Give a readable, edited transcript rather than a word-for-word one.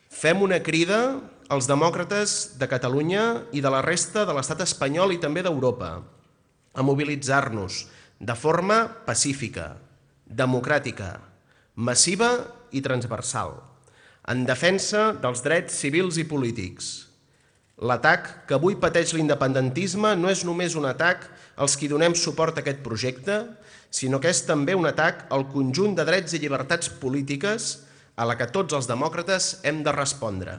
Fem una crida als demòcrates de Catalunya i de la resta de l'estat espanyol i també d'Europa a mobilitzar-nos de forma pacífica, democràtica, massiva i transversal, en defensa dels drets civils i polítics. L'atac que avui pateix l'independentisme no és només un atac als qui donem suport a aquest projecte, sinó que és també un atac al conjunt de drets i llibertats polítiques a la que tots els demòcrates hem de respondre.